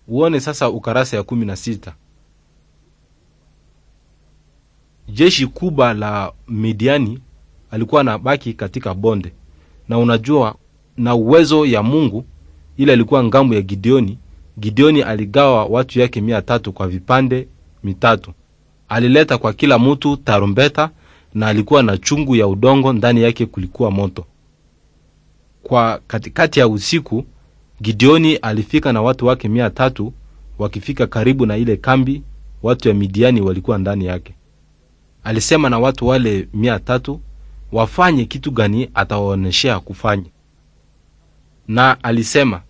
Uone sasa ukarasa ya 16. Jeshi kubwa la Midiani alikuwa anabaki katika bonde, na unajua, na uwezo ya Mungu ile alikuwa ngambo ya Gideoni. Gideoni aligawa watu yake 300 kwa vipande mitatu. Alileta kwa kila mtu tarumbeta na alikuwa na chungu ya udongo, ndani yake kulikuwa moto. Kwa katikati ya usiku Gideoni alifika na watu wake 300. Wakifika karibu na ile kambi, watu ya Midiani walikuwa ndani yake. Alisema na watu wale 300 wafanye kitu gani atawaoneshea kufanya, na alisema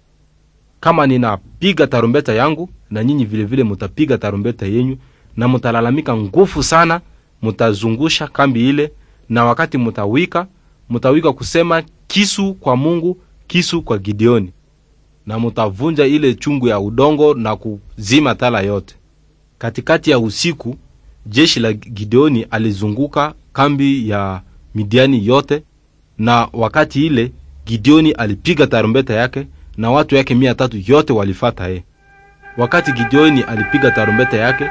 kama ninapiga tarumbeta yangu na nyinyi vilevile mutapiga tarumbeta yenyu, na mutalalamika nguvu sana, mutazungusha kambi ile, na wakati mutawika, mutawika kusema kisu kwa Mungu, kisu kwa Gideoni, na mutavunja ile chungu ya udongo na kuzima tala yote. Katikati ya usiku jeshi la Gideoni alizunguka kambi ya Midiani yote, na wakati ile Gideoni alipiga tarumbeta yake na watu yake 300 yote walifata ye. Wakati Gideoni alipiga tarumbeta yake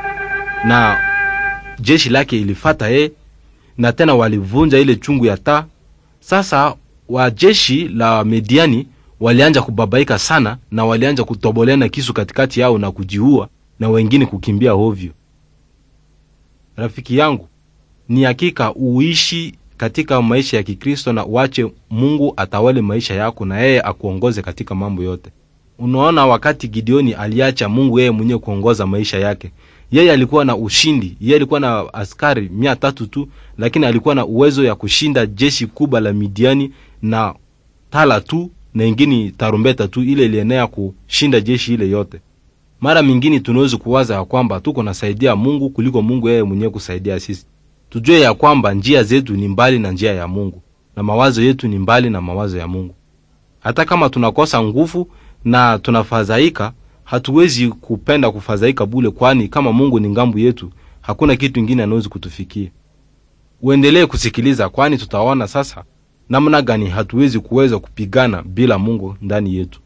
na jeshi lake ilifata ye, na tena walivunja ile chungu ya taa. Sasa wajeshi la Midiani walianja kubabaika sana, na walianja kutoboleana kisu katikati yao na kujiua na wengine kukimbia hovyo. Rafiki yangu, ni hakika uishi katika maisha ya Kikristo na uache Mungu atawale maisha yako na yeye akuongoze katika mambo yote. Unaona, wakati Gideoni aliacha Mungu yeye mwenyewe kuongoza maisha yake, yeye alikuwa na ushindi. Yeye alikuwa na askari 300 tu, lakini alikuwa na uwezo ya kushinda jeshi kubwa la Midiani na tala tu na ingine tarumbeta tu, ile ilienea kushinda jeshi ile yote. Mara mingine tunaweza kuwaza ya kwamba tuko nasaidia Mungu kuliko Mungu yeye mwenyewe kusaidia sisi. Tujue ya kwamba njia zetu ni mbali na njia ya Mungu na mawazo yetu ni mbali na mawazo ya Mungu. Hata kama tunakosa nguvu na tunafadhaika, hatuwezi kupenda kufadhaika bule, kwani kama Mungu ni ngambo yetu, hakuna kitu kingine anaweza kutufikia. Uendelee kusikiliza, kwani tutaona sasa namna gani hatuwezi kuweza kupigana bila Mungu ndani yetu.